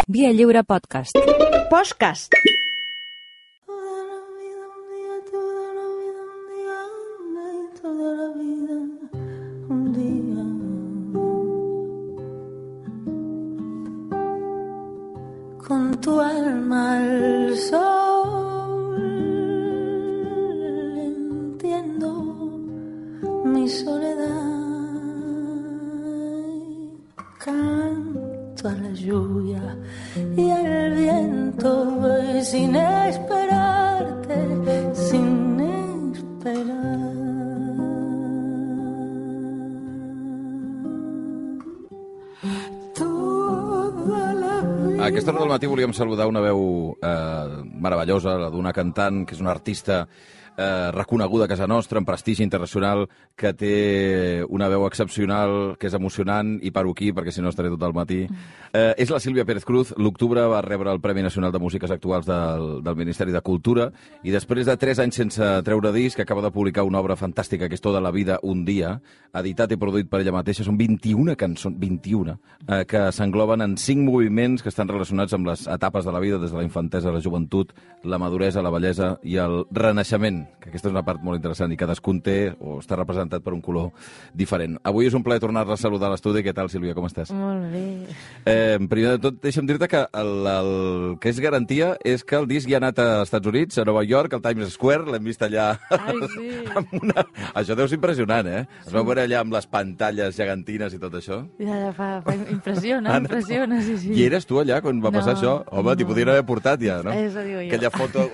Via Lliure Podcast. Podcast. Con tu alma al sol, entiendo mi soledad, canto a la lluvia y al viento, sin esperarte, sin esperar. A aquesta hora del matí volíem saludar una veu meravellosa, la d'una cantant que és una artista reconeguda a casa nostra, en prestigi internacional, que té una veu excepcional, que és emocionant, i paro aquí perquè si no estaré tot el matí. És la Sílvia Pérez Cruz. L'octubre va rebre el Premi Nacional de Músiques Actuals del Ministeri de Cultura i després de 3 anys sense treure disc acaba de publicar una obra fantàstica que és Toda la vida un dia, editat i produït per ella mateixa. Són 21 cançons, 21, que s'engloben en 5 moviments que estan relacionats amb les etapes de la vida, des de la infantesa a la joventut, la maduresa, la vellesa i el renaixement, que aquesta és una part molt interessant i cadascun té o està representat per un color diferent. Avui és un plaer tornar-la a saludar a l'estudi. Què tal, Sílvia, com estàs? Molt bé. Primer de tot, deixa'm dir-te que el que és garantia és que el disc ja ha anat als Estats Units, a Nova York, al Times Square, l'hem vist allà. Ai, sí. Això deu ser impressionant, eh? Es veu veure allà amb les pantalles gegantines i tot això. Ja impressiona, sí, sí. I eres tu allà quan va passar això? Home, t'hi podrien haver portat ja, no? Això digo jo. Aquella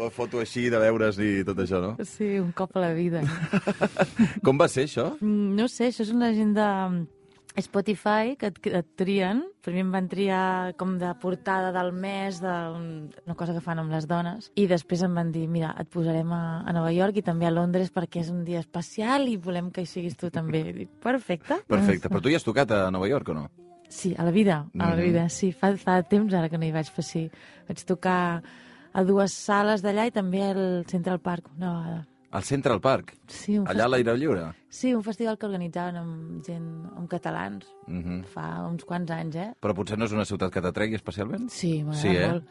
foto així de veure's i tot això, no? Sí, un cop a la vida. Com va ser això? No sé, això és una gent de Spotify que et trien. Primer em van triar com de portada del mes, una cosa que fan amb les dones, i després em van dir, mira, et posarem a Nova York i també a Londres perquè és un dia especial i volem que hi siguis tu també. I dic, perfecte. Perfecte. Però tu ja has tocat a Nova York o no? Sí, a la vida, sí. Fa temps ara que no hi vaig fer, sí. Vaig tocar a 2 sales d'allà i també al Central Park una vegada. Al Central Park? Sí, allà a l'aire lliure? Sí, un festival que organitzaven amb gent, amb catalans, fa uns quants anys, eh? Però potser no és una ciutat que t'atregui especialment? Sí, m'agrada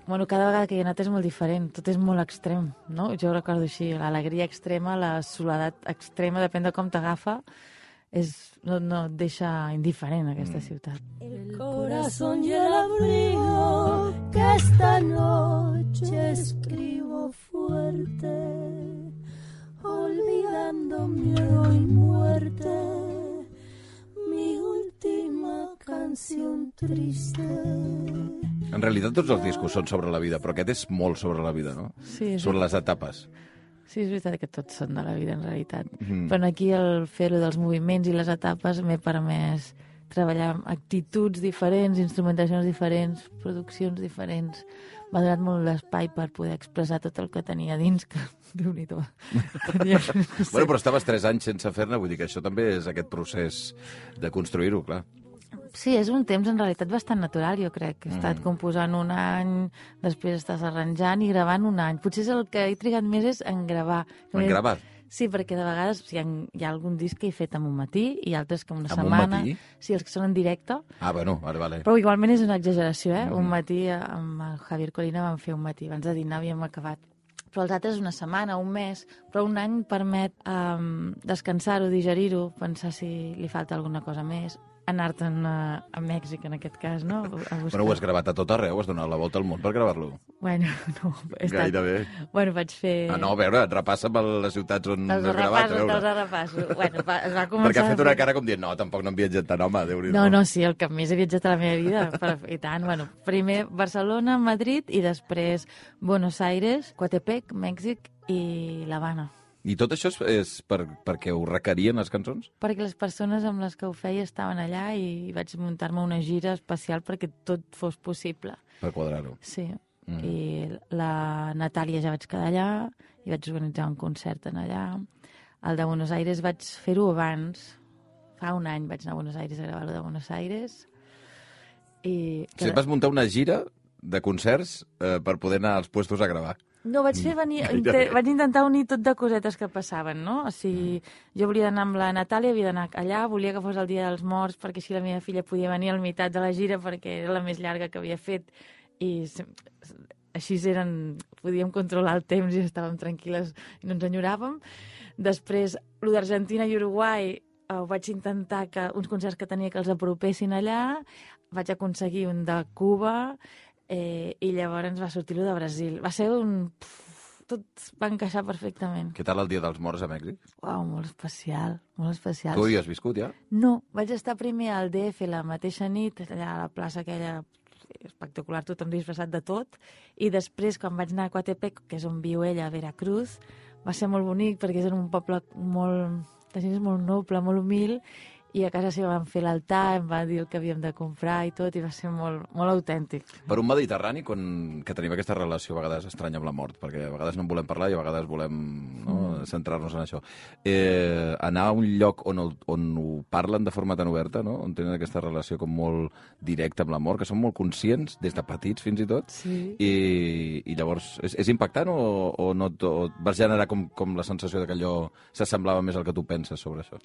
molt. Cada vegada que hi he anat és molt diferent, tot és molt extrem, no? Jo ho recordo així, l'alegria extrema, la soledat extrema, depèn de com t'agafa, no et deixa indiferent aquesta ciutat. El corazón y el abrigo que esta noche escribo fuerte, olvidando miedo y muerte, mi última canción triste. En realitat tots els discos són sobre la vida, però aquest és molt sobre la vida, no? Sí, sobre les etapes. Sí, és veritat que tots són de la vida, en realitat. Però aquí el fer-ho dels moviments i les etapes m'he permès treballar amb actituds diferents, instrumentacions diferents, produccions diferents. M'ha donat molt l'espai per poder expressar tot el que tenia dins, que Déu-n'hi-do. Bueno, però estaves 3 anys sense fer-ne, vull dir que això també és aquest procés de construir-ho, clar. Sí, és un temps en realitat bastant natural, jo crec. He estat composant un any, després estàs arranjant i gravant un any. Potser el que he trigat més és en gravar. En gravar? Sí, perquè de vegades hi ha algun disc que he fet en un matí i altres que en una setmana. En un matí? Sí, els que són en directe. Ah, bueno, vale. Però igualment és una exageració, eh? Un matí amb el Javier Colina vam fer un matí. Abans de dinar havíem acabat. Però els altres una setmana, un mes. Però un any permet descansar-ho, digerir-ho, pensar si li falta alguna cosa més. Anar-te'n a Mèxic, en aquest cas, no? Però ho has gravat a tot arreu, has donat la volta al món per gravar-lo. Bueno, no. Gairebé. Bueno, vaig fer... Ah, no, a veure, et repassa per les ciutats on has gravat, a veure. Te'ls repasso. Bueno, es va començar... Perquè ha fet una cara com dient, no, tampoc no hem viatjat tant, home, Déu-n'hi-do. No, sí, el que més he viatjat a la meva vida, i tant, bueno, primer Barcelona, Madrid, i després Buenos Aires, Coatepec, Mèxic i l'Havana. I tot això és perquè ho requerien les cançons? Perquè les persones amb les que ho feia estaven allà i vaig muntar-me una gira especial perquè tot fos possible. Per quadrar-ho. Sí. I la Natàlia ja vaig quedar allà i vaig organitzar un concert en allà. El de Buenos Aires vaig fer-ho abans. Fa un any vaig anar a Buenos Aires a gravar-ho de Buenos Aires. Sí, vas muntar una gira de concerts per poder anar als puestos a gravar. No, vaig fer venir... vaig intentar unir tot de cosetes que passaven, no? O sigui, jo volia anar amb la Natàlia, havia d'anar allà, volia que fos el Dia dels Morts, perquè així la meva filla podia venir al meitat de la gira, perquè era la més llarga que havia fet, i així podíem controlar el temps i estàvem tranquil·les i no ens enyoràvem. Després, el d'Argentina i Uruguai, vaig intentar que uns concerts que tenia que els apropessin allà, vaig aconseguir un de Cuba, i llavors va sortir el de Brasil. Va ser tot va encaixar perfectament. Què tal el Dia dels Morts a Mèxic? Uau, molt especial, molt especial. Tu hi has viscut, ja? No, vaig estar primer al DF la mateixa nit, allà a la plaça aquella espectacular, tothom disfressat de tot, i després, quan vaig anar a Coatepec, que és on viu ella, a Veracruz, va ser molt bonic, perquè és en un poble la gent és molt noble, molt humil, i a casa seva vam fer l'altar, em va dir el que havíem de comprar i tot, i va ser molt, molt autèntic. Per un mediterrani, que tenim aquesta relació a vegades estranya amb la mort, perquè a vegades no en volem parlar i a vegades volem centrar-nos en això. Anar a un lloc on ho parlen de forma tan oberta, no? On tenen aquesta relació com molt directa amb la mort, que són molt conscients, des de petits fins i tot, sí. I llavors és impactant o no? O vas generar com la sensació de que allò s'assemblava més al que tu penses sobre això?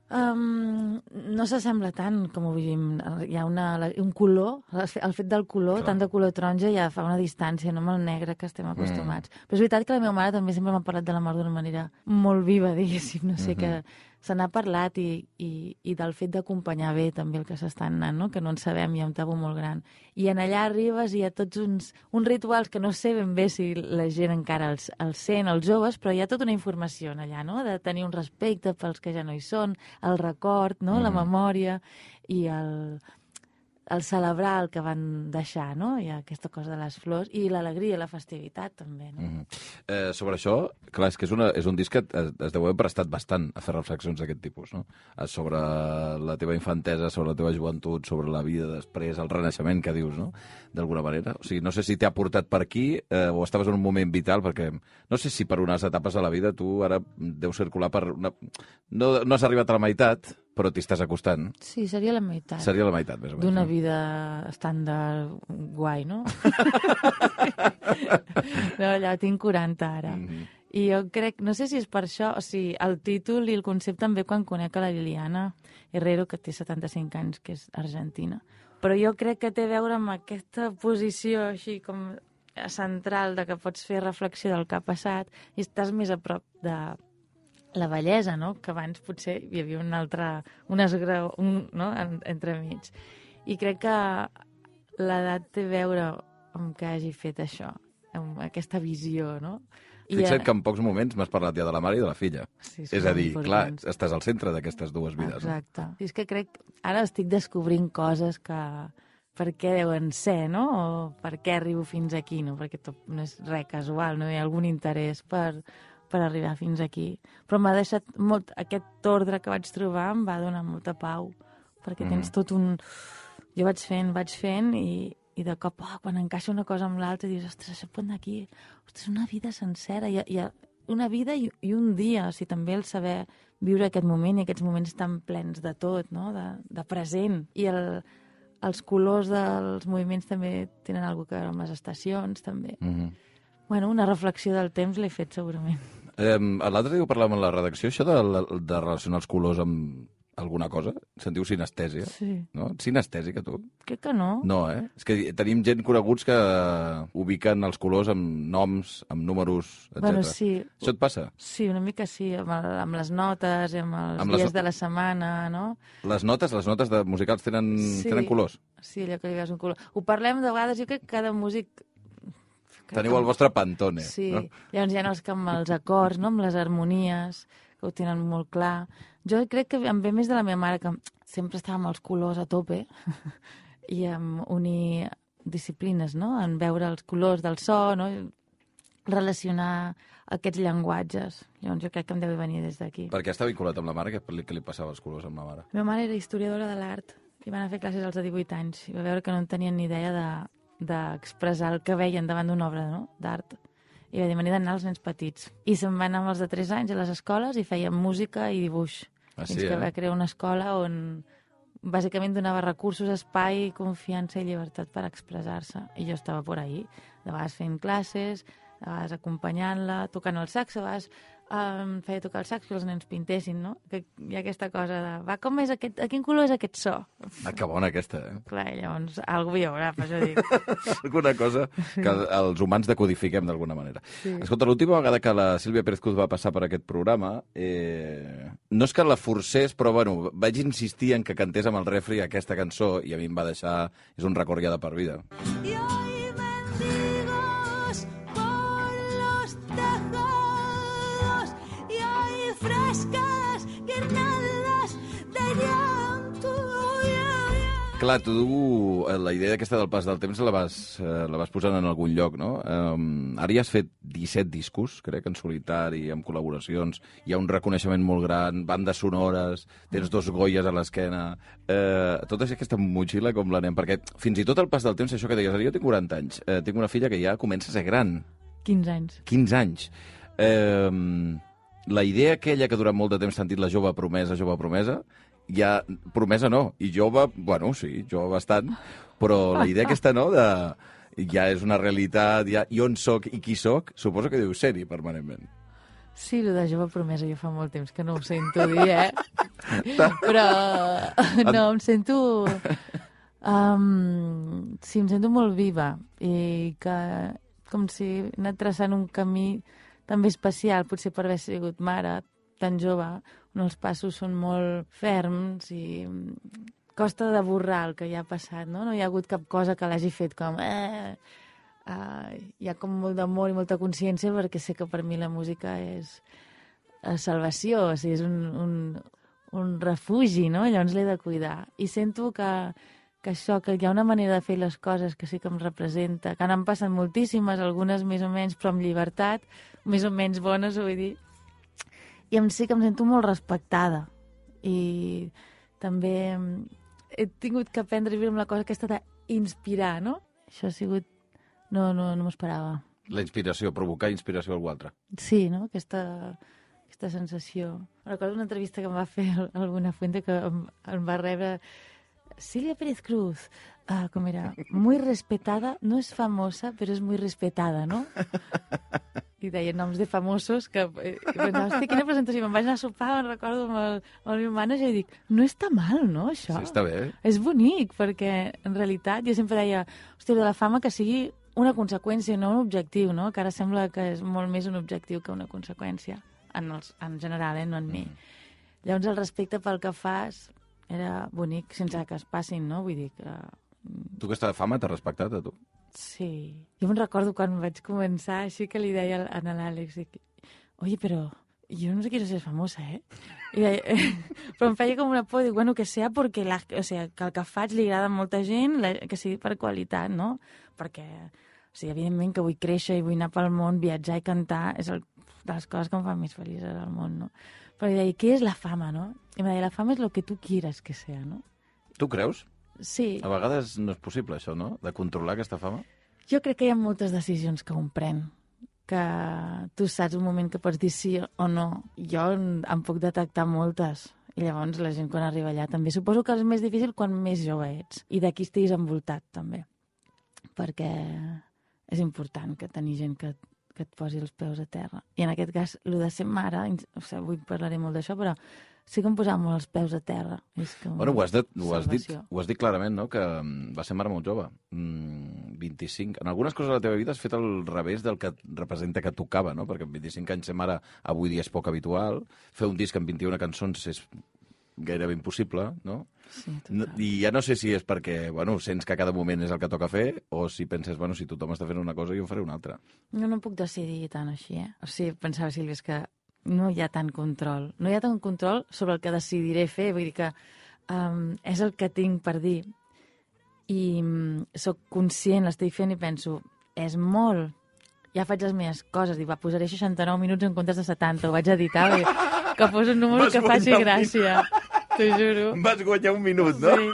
No s'assembla tant com ho vivim. Hi ha un color, el fet del color, tant de color taronja, ja fa una distància, no amb el negre que estem acostumats. Però és veritat que la meva mare també sempre m'ha parlat de la mort d'una manera molt viva, diguéssim, no sé, que se n'ha parlat i del fet d'acompanyar bé també el que s'està anant, no? Que no en sabem, hi ha un tabú molt gran. I en allà arribes i hi ha tots uns rituals que no sé ben bé si la gent encara els sent, els joves, però hi ha tota una informació en allà, no? De tenir un respecte pels que ja no hi són, el record, no? La memòria i el celebrar el que van deixar, no? Hi ha aquesta cosa de les flors i l'alegria, la festivitat, també, no? Sobre això, clar, és que és un disc que es deu haver prestat bastant a fer reflexions d'aquest tipus, no? Sobre la teva infantesa, sobre la teva joventut, sobre la vida després, el renaixement que dius, no? D'alguna manera. O sigui, no sé si t'ha portat per aquí o estaves en un moment vital, perquè no sé si per unes etapes de la vida tu ara deus circular per una... No has arribat a la meitat, però t'hi estàs acostant. Sí, seria la meitat. Seria la meitat, més o menys. D'una vida estàndard guai, no? No, allà tinc 40 ara. I jo crec, no sé si és per això, o sigui, el títol i el concepte també quan conec a la Liliana Herrero, que té 75 anys, que és argentina. Però jo crec que té a veure amb aquesta posició així com central de que pots fer reflexió del que ha passat i estàs més a prop de la bellesa, no? Que abans potser hi havia un esgrau, no? Entremig. I crec que l'edat té a veure amb que hagi fet això, amb aquesta visió, no? Fixa't que en pocs moments m'has parlat ja de la mare i de la filla. Sí, és a dir, clar, estàs al centre d'aquestes dues vides. Exacte. No? És que crec, ara estic descobrint coses que per què deuen ser, no? O per què arribo fins aquí, no? Perquè tot no és res casual, no? Hi ha algun interès per arribar fins aquí. Però m'ha deixat molt... Aquest ordre que vaig trobar em va donar molta pau, perquè tens tot un... Jo vaig fent i de cop, quan encaixa una cosa amb l'altra, dius, ostres, això pot anar aquí. Ostres, una vida sencera. Hi ha una vida i un dia. O sigui, també el saber viure aquest moment i aquests moments tan plens de tot, no? De present. I els colors dels moviments també tenen alguna cosa a veure amb les estacions, també. Bueno, una reflexió del temps l'he fet segurament. L'altre dia ho parlàvem en la redacció, això de relacionar els colors amb alguna cosa? Se'n diu sinestèsia. Sí. No? Ets sinestèsica, tu? Crec que no. No, eh? És que tenim gent coneguts que ubiquen els colors amb noms, amb números, etc. Bueno, sí. Això et passa? Sí, una mica sí, amb les notes, amb els dies de la setmana, no? Les notes de musicals tenen colors? Sí, allò que li veus un color. Ho parlem de vegades, jo crec que cada músic... Teniu el vostre Pantone. Sí, no? Llavors hi ha els que amb els acords, no? Amb les harmonies, que ho tenen molt clar. Jo crec que em ve més de la meva mare, que sempre estava amb els colors a tope i en unir disciplines, no? En veure els colors del so, no? Relacionar aquests llenguatges. Llavors jo crec que em deu venir des d'aquí. Per què està vinculat amb la mare? Què li passava als colors amb la mare? La meva mare era historiadora de l'art i va anar a fer classes als de 18 anys i va veure que no en tenien ni idea d'expressar el que veien davant d'una obra, no? D'art. I va dir, m'he d'anar als nens petits. I se'n va anar amb els de 3 anys a les escoles i feien música i dibuix. Fins que va crear una escola on bàsicament donava recursos, espai, confiança i llibertat per expressar-se. I jo estava por ahí, de vegades fent classes, a vegades acompanyant-la, tocant el sax, a vegades feia tocar el sax que els nens pintessin, no? Que hi ha aquesta cosa de, va, com és aquest, a quin color és aquest so? Ah, que bona aquesta, eh? Clar, llavors, algú hi haurà, per això dic. Alguna cosa que els humans decodifiquem d'alguna manera. Sí. Escolta, l'última vegada que la Sílvia Pérez Cruz va passar per aquest programa, no és que la forcés, però bueno, vaig insistir en que cantés amb el refri aquesta cançó i a mi em va deixar... És un record ja de per vida. Y hoy mendigos por los tejados y hay frescas guirnaldas de llanto. Clar, tu la idea aquesta del pas del temps la vas posant en algun lloc, no? Ara ja has fet 17 discos, crec, en solitari, amb col·laboracions, hi ha un reconeixement molt gran, bandes sonores, tens 2 Goyes a l'esquena... Tota aquesta motxilla com l'anem? Perquè fins i tot el pas del temps, això que deies, jo tinc 40 anys, tinc una filla que ja comença a ser gran. 15 anys. 15 anys. La idea aquella que durant molt de temps s'ha dit la jove promesa, ja, promesa no, i jove, bueno, sí, jove bastant, però la idea aquesta, no?, ja és una realitat, ja, i on soc i qui soc, suposo que deu ser-hi permanentment. Sí, el de jove promesa jo fa molt temps que no ho sento dir, Però, no, em sento... sí, em sento molt viva i que com si he anat traçant un camí també especial, potser per haver sigut mare tan jove, on els passos són molt ferms i costa de borrar el que ja ha passat, no? No hi ha hagut cap cosa que l'hagi fet com... hi ha com molt d'amor i molta consciència perquè sé que per mi la música és salvació, o sigui, és un refugi, no? Llavors l'he de cuidar. I sento que això, que hi ha una manera de fer les coses que sí que em representa, que n'han passat moltíssimes, algunes més o menys, però amb llibertat, més o menys bones, vull dir. I sí que em sento molt respectada. I també he tingut que aprendre a viure amb la cosa aquesta d'inspirar, no? Això ha sigut... No m'ho esperava. La inspiració, provocar inspiració a algú altre. Sí, no? Aquesta sensació. Recordo una entrevista que em va fer el Buenafuente que em va rebre... Silvia Pérez Cruz, com era? Muy respetada, no és famosa, però és muy respetada, no? I deia noms de famosos que... pensava, hòstia, quina presentació. Me'n vaig anar a sopar, me'n recordo amb el meu manager i dic, no està mal, no, això? Sí, està bé. És bonic, perquè en realitat jo sempre deia, hòstia, de la fama que sigui una conseqüència, no un objectiu, no? Que ara sembla que és molt més un objectiu que una conseqüència, en general, no en mi. Llavors el respecte pel que fas era bonic, sense que es passin, no? Vull dir que... Tu aquesta fama t'ha respectat, a tu? Sí. Jo me'n recordo quan vaig començar, així que li deia a l'Àlex, oye, però yo no quiero ser famosa, I deia, però em feia com una por, dic, bueno, que sea porque o sea, que el que faig li agrada a molta gent, que sigui per qualitat, no? Perquè, o sigui, evidentment que vull créixer i vull anar pel món, viatjar i cantar, és de les coses que em fan més feliç al món, no? Però deia, què és la fama, no? I em deia, la fama és lo que tu quieras que sea, no? Tu creus? Sí. A vegades no és possible, això, no? De controlar aquesta fama? Jo crec que hi ha moltes decisions que un pren, que tu saps un moment que pots dir sí o no. Jo em puc detectar moltes. I llavors la gent quan arriba allà també. Suposo que és més difícil quan més jove ets. I d'aquí estiguis envoltat, també. Perquè és important que tenir gent que et posi els peus a terra. I en aquest cas, el de ser mare, o sigui, avui parlaré molt d'això, però sí que em posava molt els peus a terra. És que bueno, ho has dit clarament, no?, que va ser mare molt jove. 25. En algunes coses de la teva vida has fet el revés del que representa que tocava, no? Perquè amb 25 anys ser mare avui dia és poc habitual. Fer un disc amb 21 cançons és gairebé impossible, no? Sí, I ja no sé si és perquè, bueno, sents que a cada moment és el que toca fer, o si penses, bueno, si tothom està fent una cosa, jo en faré una altra. No puc decidir tant així, O sigui, pensava, Sílvia, és que no hi ha tant control. No hi ha tant control sobre el que decidiré fer. Vull dir que és el que tinc per dir. I sóc conscient, l'estic fent i penso, és molt. Ja faig les meves coses. Dic, posaré 69 minuts en comptes de 70. Ho vaig editar, que fos un número que faci gràcia. T'ho juro. Vas guanyar un minut, no? Sí.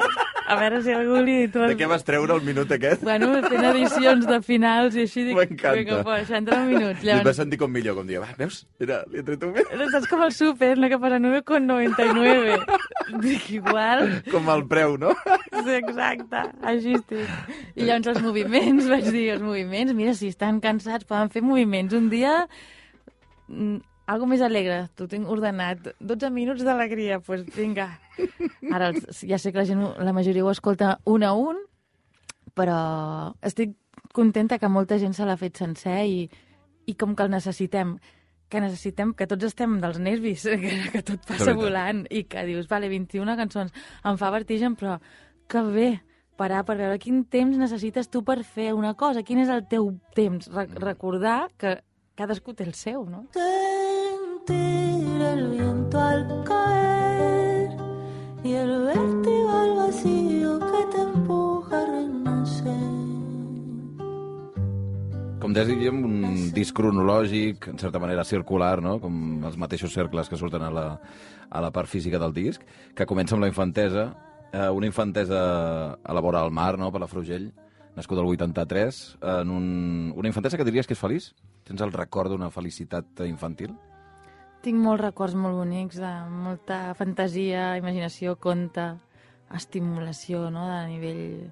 A veure si algú li... De què vas treure el minut aquest? Bueno, fent edicions de finals i així... M'encanta. Vinga, fora, 69 minuts. I et vas sentir com millor, com dir, va, veus? Mira, li he tret un minut. Saps com el súper, no? Que posa 9,99. Dic, igual... Com el preu, no? Sí, exacte, així estic. I llavors els moviments, vaig dir, els moviments, mira, si estan cansats poden fer moviments. Un dia... Algo més alegre, t'ho tinc ordenat. 12 minuts d'alegria, doncs pues, vinga. Ara ja sé que la majoria ho escolta un a un, però estic contenta que molta gent se l'ha fet sencer i com que el necessitem, que tots estem dels nervis, que tot passa volant i que dius, vale, 21 cançons, em fa vertigen, però que bé, parar per veure quin temps necessites tu per fer una cosa, quin és el teu temps, recordar que cadascú té el seu, no? Sentir el viento al caer y el vértigo al vacío que te empuja a renacer. Com dèiem, un disc cronològic, en certa manera circular, no? Com els mateixos cercles que surten a la part física del disc, que comença amb la infantesa, una infantesa a la vora del mar, no?, per la Frugell, nascuda el 83, una infantesa que diries que és feliç? Tens el record d'una felicitat infantil? Tinc molts records molt bonics, de molta fantasia, imaginació, conte, estimulació, no?, de nivell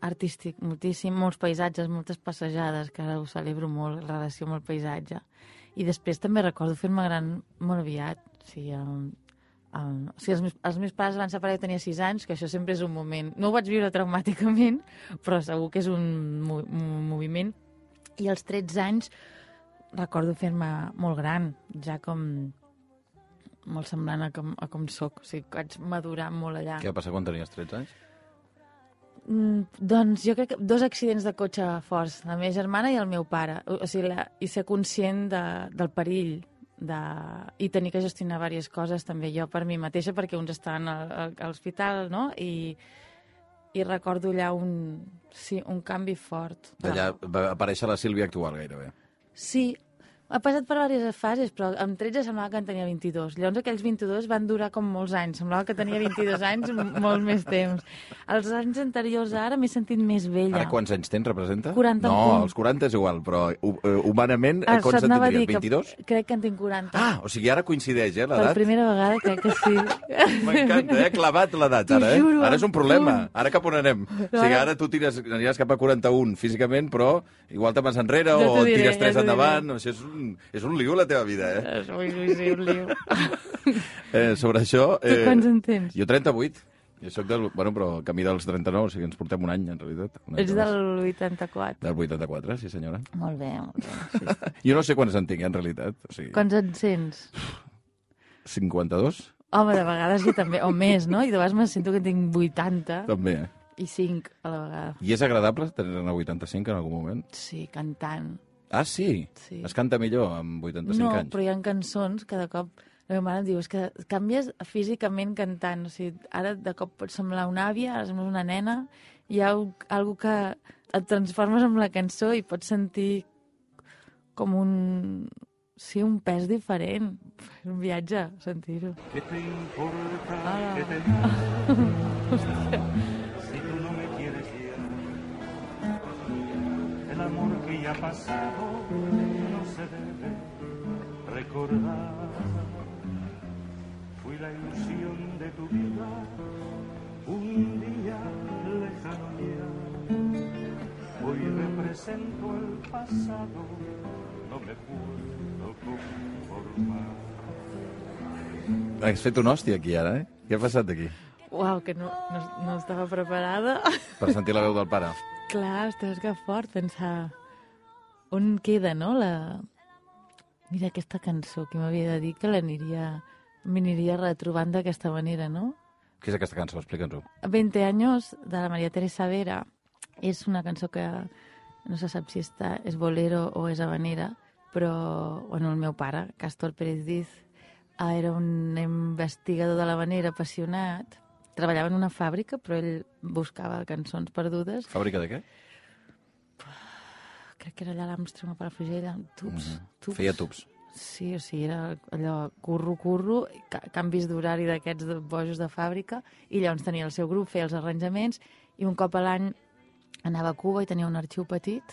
artístic, moltíssim, molts paisatges, moltes passejades, que ara ho celebro molt, en relació amb el paisatge. I després també recordo fer-me gran molt aviat. Els meus pares van separar, jo tenia 6 anys, que això sempre és un moment... No ho vaig viure traumàticament, però segur que és un moviment. I als 13 anys recordo fer-me molt gran, ja com molt semblant a com soc. O sigui, vaig madurar molt allà. Què va passar quan tenies 13 anys? Doncs jo crec que 2 accidents de cotxe forts, la meva germana i el meu pare. O sigui, i ser conscient del perill i tenir que gestionar diverses coses també jo per mi mateixa, perquè uns estaven a l'hospital, no? I recordo allà un canvi fort. D'allà va aparèixer la Sílvia actual, gairebé. Sí, ha passat per diverses fases, però amb 13 semblava que en tenia 22. Llavors aquells 22 van durar com molts anys. Semblava que tenia 22 anys, molt més temps. Els anys anteriors ara m'he sentit més vella. Ara quants anys tens, representa? 40 No, els 40 és igual, però humanament, Això quants en anava a dir tindries? 22? Crec que en tinc 40. Ah, o sigui, ara coincideix, l'edat? Per primera vegada crec que sí. M'encanta, clavat l'edat, ara, T'ho juro, Ara és un problema. punt. Ara cap on anem? O sigui, ara tu aniràs cap a 41 físicament, però igual te'n vas enrere Ja o t'ho diré, tires 3 ja t'ho endavant. Això és un lío, la teva vida, Sí, un lío. Sobre això... Tu quants en tens? Jo 38. Jo soc bueno, però camí dels 39, o sigui, ens portem un any, en realitat. Ets del 84. Del 84, sí, senyora. Molt bé, molt bé. Sí. Jo no sé quants en tinc, en realitat. O sigui, Quants en sents? 52? Home, de vegades jo també, o més, no? I de vegades me sento que en tinc 80 També, i 5 a la vegada. I és agradable tenir-ne 85 en algun moment? Sí, cantant. Ah, sí? Sí. Es canta millor amb 85 anys? No, però hi ha cançons que de cop la meva mare em diu, és que canvies físicament cantant. O sigui, ara de cop pots semblar una àvia, ara sembles una nena, hi ha algo que et transformes amb la cançó i pots sentir com un pes diferent. És un viatge, sentir-ho. ¿Qué te importa Ah. que te si tú no me quieres ya? El amor que ya ha pasado no se debe recordar. Fui la ilusión de tu vida un día lejano ya. Hoy represento el pasado, no me puedo conformar. Has fet un hòstia aquí, ara, eh? Què ha passat aquí? Uau, que no estava preparada. Per sentir la veu del pare. Clar, ostres, que fort pensar on queda, no? Mira, aquesta cançó que m'havia de dir que m'aniria retrobant d'aquesta manera, no? Què és aquesta cançó? Explica'ns-ho. 20 años, de la María Teresa Vera, és una cançó que no se sap si és bolero o és habanera, però, bueno, el meu pare, Castor Pérez Diz, era un investigador de l'habanera apassionat, treballava en una fàbrica, però ell buscava cançons perdudes. Fàbrica de què? Crec que era allà a l'Armstrong, a Palafrugell, amb tubs. Feia tubs. Sí, o sigui, era allò curro, canvis d'horari d'aquests bojos de fàbrica, i llavors tenia el seu grup, feia els arranjaments, i un cop a l'any anava a Cuba i tenia un arxiu petit,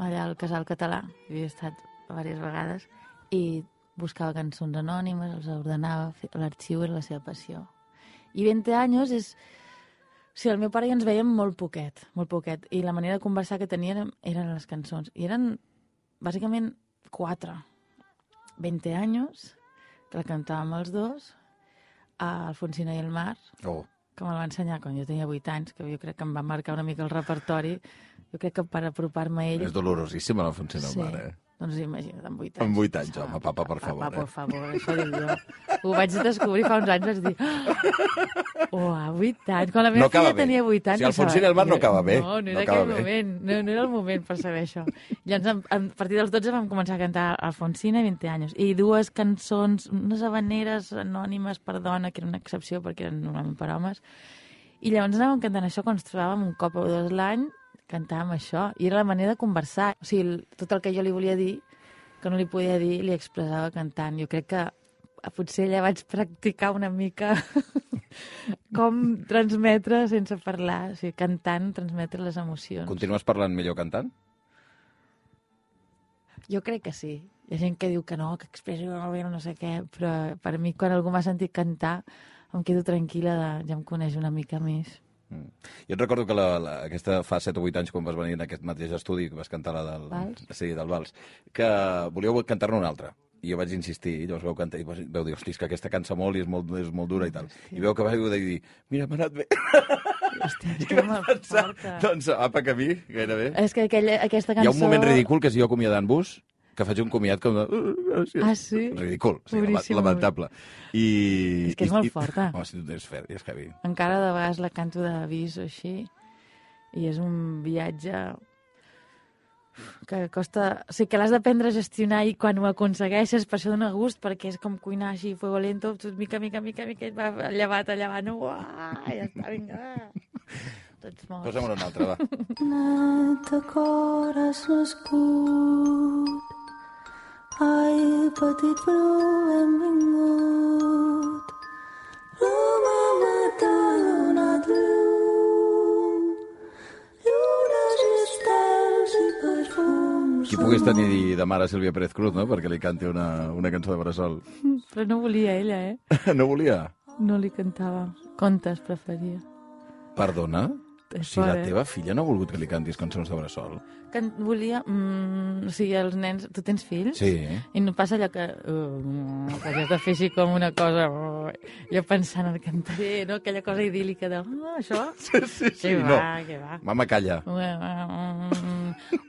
allà al Casal Català, havia estat diverses vegades, i buscava cançons anònimes, els ordenava, l'arxiu era la seva passió. I 20 anys és... Sí, el meu pare i ens veiem molt poquet, i la manera de conversar que tenien eren les cançons. I eren, bàsicament, 4. 20 anys, que la cantàvem els dos, a Alfonsina i el mar, que me'l va ensenyar quan jo tenia 8 anys, que jo crec que em va marcar una mica el repertori. Jo crec que per apropar-me a ell... És dolorosíssima l'Alfonsina i el mar, eh? Doncs imagina't, amb 8 anys. Amb 8 anys, home, papa, per favor. Papa, per favor, això dic jo. Ho vaig descobrir fa uns anys, vaig dir... a 8 anys. Quan la meva filla tenia 8 anys... Si Alfonsina i el mar no acaba bé. No era aquell moment. No era el moment per saber això. Llavors, a partir dels 12 vam començar a cantar Alfonsina i 20 anys. I 2 cançons, unes habaneres anònimes per dona, que era una excepció perquè eren normalment per homes. I llavors anàvem cantant això quan ens trobàvem un cop o 2 l'any, cantàvem això, i era la manera de conversar. O sigui, tot el que jo li volia dir, que no li podia dir, li expressava cantant. Jo crec que potser allà vaig practicar una mica com transmetre sense parlar, o sigui, cantant, transmetre les emocions. Continues parlant millor cantant? Jo crec que sí. Hi ha gent que diu que no, que expresso molt bé, no sé què, però per mi, quan algú m'ha sentit cantar, em quedo tranquil·la, ja em coneix una mica més. Jo et recordo que aquesta fa 7 o 8 anys, quan vas venir en aquest mateix estudi, que vas cantar la del Vals? Sí, del Vals, que volíeu cantar-ne una altra. I jo vaig insistir, i llavors vau cantar, i vau dir, hosti, és que aquesta cansa molt i és molt dura i tal. Hòstia. I veu que vau dir, mira, m'ha anat bé. Hòstia, és que m'aporta. Doncs apa que a mi, gairebé. És que aquesta cançó... Hi ha un moment ridícul que és jo acomiadant-vos, que faig un comiat com de... Ah, sí? Ridícul, sí, lamentable. És que és molt forta. Home, si tu tens fer, és heavy. Encara de vegades la canto d'avís o així, i és un viatge que costa... O sigui, que l'has d'aprendre a gestionar i quan ho aconsegueixes, per això dona gust, perquè és com cuinar així, fuego lento, tot mica, i va llevat, no? Ja està, vinga, tots morts. Posa'm una altra, va. Net de cor has nascut, ai, petit bru, benvingut. L'home t'ha donat llum, llunes i estels i perfums. Qui pogués tenir de mare Sílvia Pérez Cruz, no?, perquè li canti una cançó de bressol. Però no volia ella, No volia? No li cantava. Contes preferia. Perdona? Si la teva filla no ha volgut que li cantis cançons de bressol? Volia... o sigui, els nens... Tu tens fills? Sí. I no passa allò que has de fer així com una cosa... Jo pensant en cantaré, no? Aquella cosa idíl·lica de... això? Sí. Que va. Mama, calla.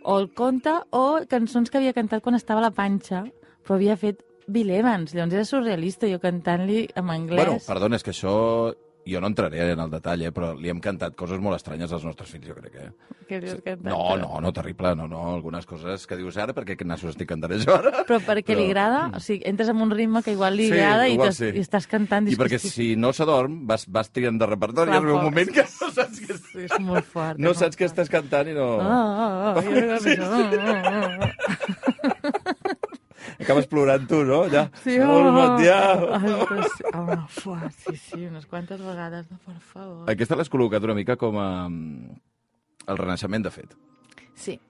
O el conte, o cançons que havia cantat quan estava a la panxa, però havia fet Bill Evans. Llavors era surrealista, jo cantant-li en anglès. Bueno, perdona, és que això... Jo no entraré en el detall, però li hem cantat coses molt estranyes als nostres fills, jo crec, Què li has cantat? No, terrible, no. Algunes coses que dius ara, perquè nassos estic cantant jo ara. Però perquè li agrada? O sigui, entres en un ritme que igual li agrada i estàs cantant... I perquè si no s'adorm, vas triant de repertori, i arriba un moment que no saps què... És molt fort. No saps què estàs cantant i no... Acabes plorant tu, no? Ja. Sí, sí, unes quantes vegades, no, per favor. Aquesta l'has col·locat una mica com a... el renaixement, de fet. Sí.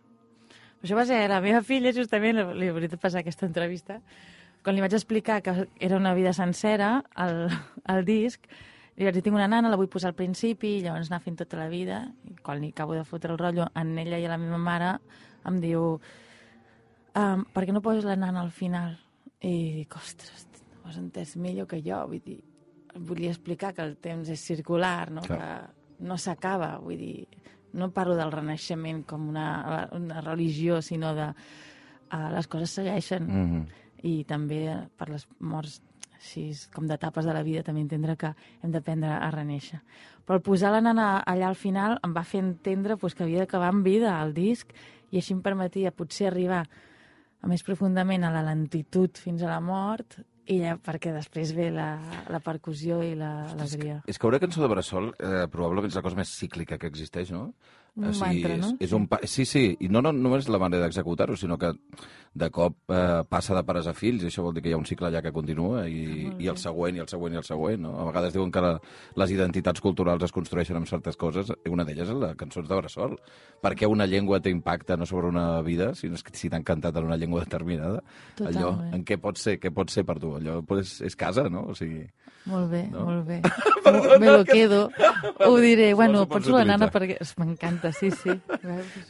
Això va ser la meva filla, justament, li hauria de passar aquesta entrevista, quan li vaig explicar que era una vida sencera, el disc, li vaig dir, tinc una nana, la vull posar al principi, i llavors anar fent tota la vida, i quan li acabo de fotre el rotllo en ella i a la meva mare, em diu... per què no poses la nana al final? I dic, ostres, ho has entès millor que jo, vull dir, volia explicar que el temps és circular, no? Que no s'acaba, vull dir, no parlo del renaixement com una religió, sinó de les coses segueixen, i també per les morts així com d'etapes de la vida també entendre que hem d'aprendre a renéixer. Però el posar la nana allà al final em va fer entendre que havia d'acabar amb vida el disc, i així em permetia potser arribar a més profundament a la lentitud fins a la mort, i perquè després ve la percussió i l'alegria. És que una cançó de bressol probablement és la cosa més cíclica que existeix, no? Un mantra, no? Sí, i no només la manera d'executar-ho, sinó que de cop passa de pares a fills, i això vol dir que hi ha un cicle allà que continua, i el següent, i el següent, i el següent, no? A vegades diuen que les identitats culturals es construeixen amb certes coses, i una d'elles és la cançons de bressol. Per què una llengua té impacte no sobre una vida, si t'han cantat en una llengua determinada? Totalment. Allò, en què pot ser per tu? Allò és casa, no? O sigui... Molt bé, no? molt bé. Me lo quedo. Ho diré. Bueno, Pots pots la nana utilitzar. perquè... M'encanta, sí.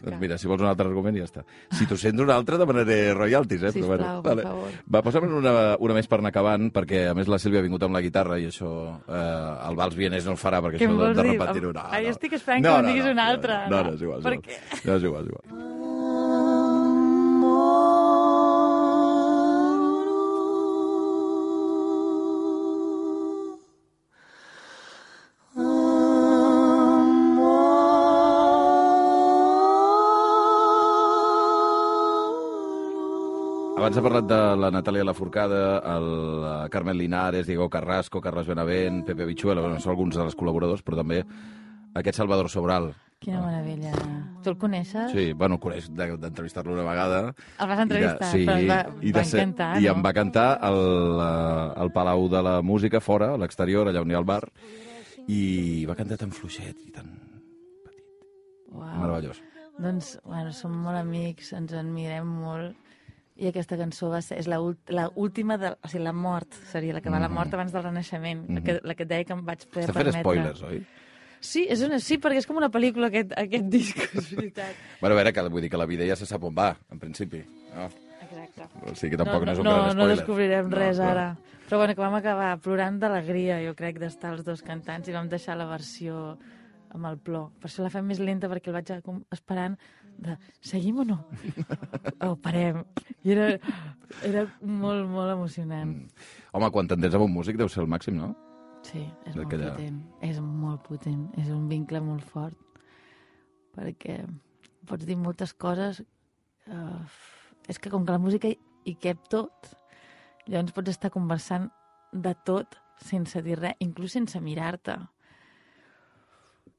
Doncs mira, si vols un altre argument, ja està. Si tu sents un altre, demanaré royalties, eh? Sisplau, per favor. Va, posa'm una més per anar acabant, perquè a més la Sílvia ha vingut amb la guitarra i això el vals vienès no el farà, perquè Què això em vols de dir? repetir-ho... No, Ai, estic esperant que em diguis una altra. No, és igual. Per què? No, és igual. Abans ha parlat de la Natàlia Lafourcade, el Carmen Linares, Diego Carrasco, Carles Benavent, Pepe Bichuela, bueno, són alguns dels col·laboradors, però també aquest Salvador Sobral. Quina meravella. Tu el coneixes? Sí, bueno, el coneix d'entrevistar-lo una vegada. El vas entrevistar, però va encantar, I no? em va cantar al Palau de la Música, fora, a l'exterior, allà on hi ha el bar, i va cantar tan fluixet i tan petit. Uau. Meravellós. Doncs, bueno, som molt amics, ens admirem molt, i aquesta cançó és l'última, o sigui, la mort, seria la que va la mort abans del renaixement, la que et deia que em vaig poder Està permetre. fent spoilers, oi? Sí, sí, perquè és com una pel·lícula aquest disc, és veritat. Bueno, a veure, vull dir que la vida ja se sap on va, en principi. No? Exacte. O sigui que tampoc no és un gran spoiler. No descobrirem res ara. Però bueno, que vam acabar plorant d'alegria, jo crec, d'estar els dos cantant, i vam deixar la versió amb el plor. Per això la fem més lenta, perquè el vaig esperant de seguim o no? O parem. I era molt, molt emocionant. Home, quan t'entens amb un músic deu ser el màxim, no? Sí, és molt D'aquella- potent. És molt potent. És un vincle molt fort. Perquè pots dir moltes coses. És que com que la música hi cap tot, llavors pots estar conversant de tot sense dir res, inclús sense mirar-te.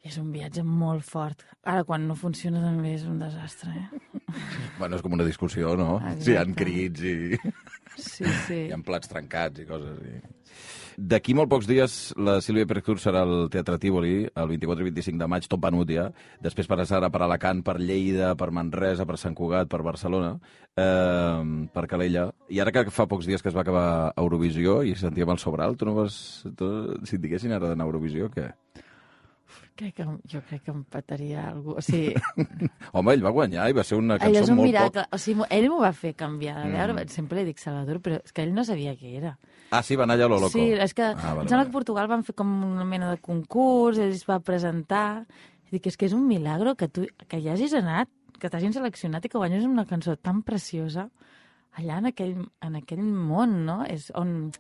És un viatge molt fort. Ara, quan no funciona, també és un desastre, Bueno, és com una discussió, no? Exacte. Sí, hi ha crits i Sí, sí. hi ha plats trencats i coses. D'aquí molt pocs dies la Sílvia Pérez Cruz serà al Teatre Tívoli, el 24 i 25 de maig, tot venut ja. Després passarà per Alacant, per Lleida, per Manresa, per Sant Cugat, per Barcelona, per Calella. I ara que fa pocs dies que es va acabar Eurovisió i sentíem el Sobral, tu no vas... Si et diguessin ara d'anar a Eurovisió, què? Jo crec que em petaria algú. O sigui, Home, ell va guanyar i va ser una ell cançó és un molt miracle. O sigui, ell m'ho va fer canviar de veure. Sempre li dic Salvador, però és que ell no sabia què era. Ah, sí, va anar allà a lo loco. Sí, és que Vale, em sembla vale. que a Portugal van fer com una mena de concurs, ell es va presentar. Dic, és que és un milagro que hi hagis anat, que t'hagin seleccionat i que guanyes una cançó tan preciosa allà en aquell món, no? És on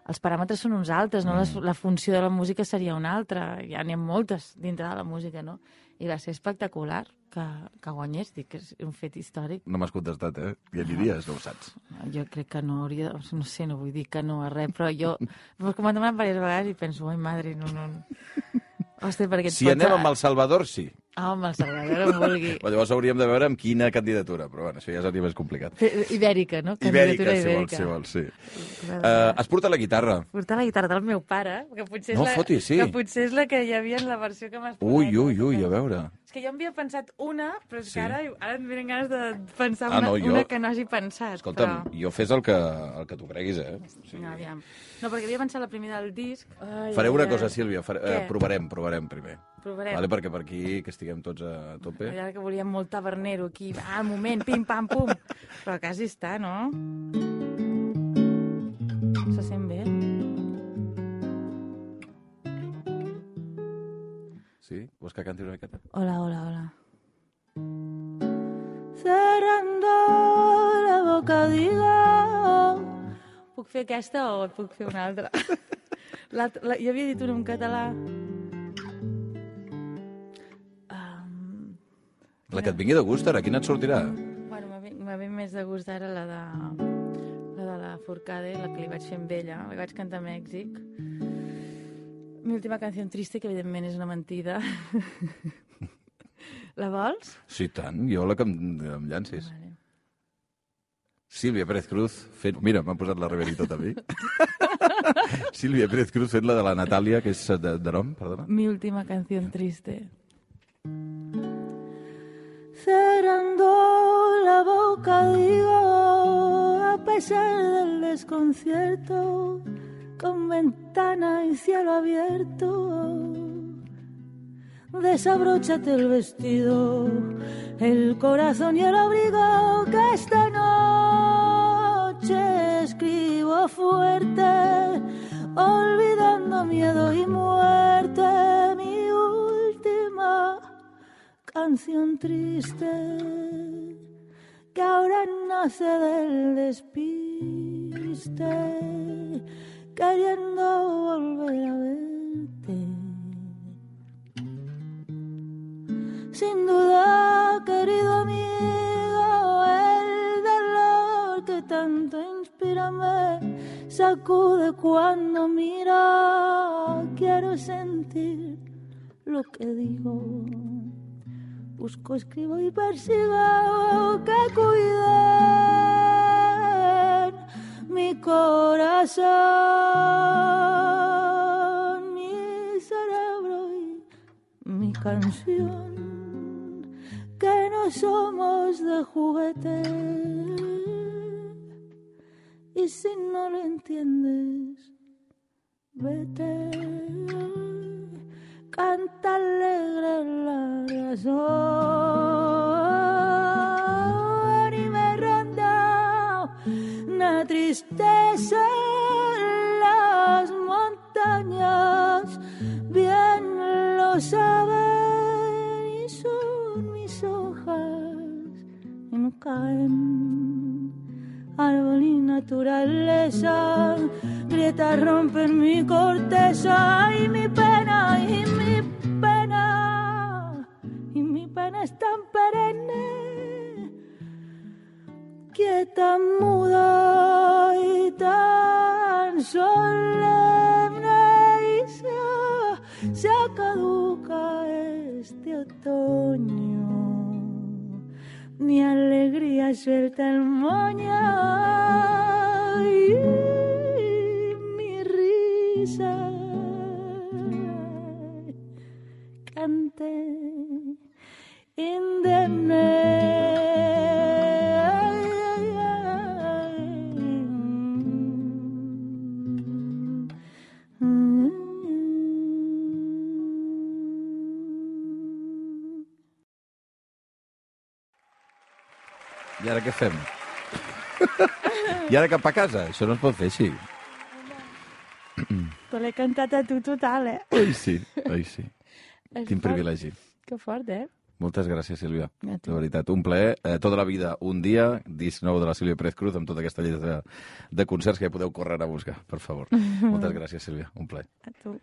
els paràmetres són uns altres, no? La funció de la música seria una altra. Ja n'hi ha moltes dintre de la música, no? I va ser espectacular que guanyés. Dic que és un fet històric. No m'has contestat, eh? Ja aniries, no ho saps. Jo crec que no hauria... No sé, no vull dir que no a res, però jo... Com m'han demanat diverses vegades i penso, ai, madre, no. Hòstia, perquè Si anem amb el Salvador, sí. Ah, amb el Salvador, em vulgui. Però llavors hauríem de veure amb quina candidatura, però bueno, això ja seria més complicat. Ibèrica, no? Ibèrica, Candidatura si vols, sí. Has portat la guitarra. Portar la guitarra del meu pare, que potser és No fotis, sí. que potser és la que hi havia en la versió que m'has posat. Ui, a veure. És que jo havia pensat una, però és Sí. que ara em venen ganes de pensar Ah, no, una que no hagi pensat. Escolta'm, però... jo fes el que tu creguis, eh? Sí. No, aviam. No, perquè havia pensat la primera del disc. Ai, Faré una ai, cosa, ai. Sílvia, Què? provarem primer. Provarem. Vale, perquè per aquí, que estiguem tots a tope. Ara que volíem molt tabernero aquí. Ah, un moment, pim, pam, pum. Però quasi està, no? Se sent bé? Sí? Vols que canti una miqueta? Hola. Cerrando la boca digo. Puc fer aquesta o puc fer una altra? Jo havia dit una en català. La que et vingui de gust, ara, quina et sortirà? Bueno, m'ha ve més de gust ara la de la Forcade, la que li vaig fer amb ella. La vaig cantar a Mèxic. Mi última canció triste, que evidentment és una mentida. La vols? Sí, tant. Jo la que em llancis. Vale. Sílvia Pérez Cruz fent... Mira, m'han posat la Riveri tot a mi. Sílvia Pérez Cruz fent la de la Natàlia, que és de nom, perdona. Mi última canción triste. Cerrando la boca digo, a pesar del desconcierto, con ventana y cielo abierto, desabróchate el vestido, el corazón y el abrigo, que esta noche escribo fuerte, olvidando miedo y muerte, mi última canción triste, que ahora nace del despiste, queriendo volver a verte. Sin duda, querido amigo, el dolor que tanto inspira me sacude cuando mira. Quiero sentir lo que digo. Busco, escribo y persigo que cuiden mi corazón, mi cerebro y mi canción. Que no somos de juguete. Y si no lo entiendes, vete. Canta alegre la razón. Y me ronda una tristeza en las montañas. Bien lo saben y son mis hojas y no caen. Árbol y naturaleza, grietas rompen mi corteza y mi pena, y mi pena, y mi pena es tan perenne, quieta, muda y tan solemne, y se caduca este otoño. Mi alegría suelta el moño y mi risa cante indemne. I ara què fem? I ara cap a casa? Això no es pot fer així. Te l'he cantat a tu total, eh? Ai, sí, ai, sí. Quin fort. privilegi. Que fort, eh? Moltes gràcies, Sílvia. A tu. De veritat, un plaer. Tota la vida, un dia, disc nou de la Sílvia Pérez Cruz, amb tota aquesta lletra de concerts que ja podeu córrer a buscar, per favor. Moltes gràcies, Sílvia. Un plaer. A tu.